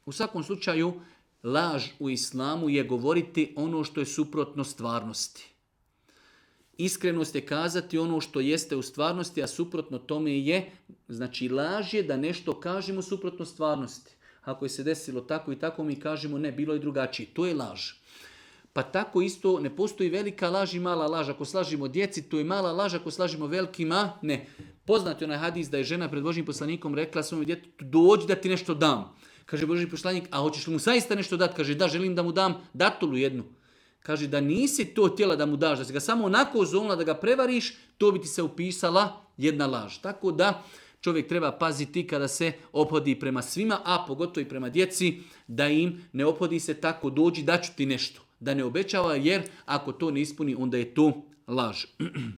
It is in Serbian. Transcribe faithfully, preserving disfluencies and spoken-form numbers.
U svakom slučaju, laž u islamu je govoriti ono što je suprotno stvarnosti. Iskrenost je kazati ono što jeste u stvarnosti, a suprotno tome je, znači laž je da nešto kažemo suprotno stvarnosti. Ako je se desilo tako i tako, mi kažemo ne, bilo je drugačije. To je laž. Pa tako isto ne postoji velika laž i mala laž. Ako slažimo djeci, to je mala laž. Ako slažimo velikima, ne. Poznat je onaj hadis da je žena pred Božjim poslanikom rekla svom djetetu, dođi da ti nešto dam. Kaže Božji poslanik, a hoćeš li mu zaista nešto dati? Kaže, da, želim da mu dam datulu jednu. Kaže, da nisi to htjela da mu daš, da si ga samo onako zovnula da ga prevariš, to bi ti se upisala jedna laž. Tako da čovjek treba paziti kada se ophodi prema svima, a pogotovo i prema djeci, da im ne ophodi se tako, dođi daću ti nešto. Da ne obećava, jer ako to ne ispuni, onda je to laž.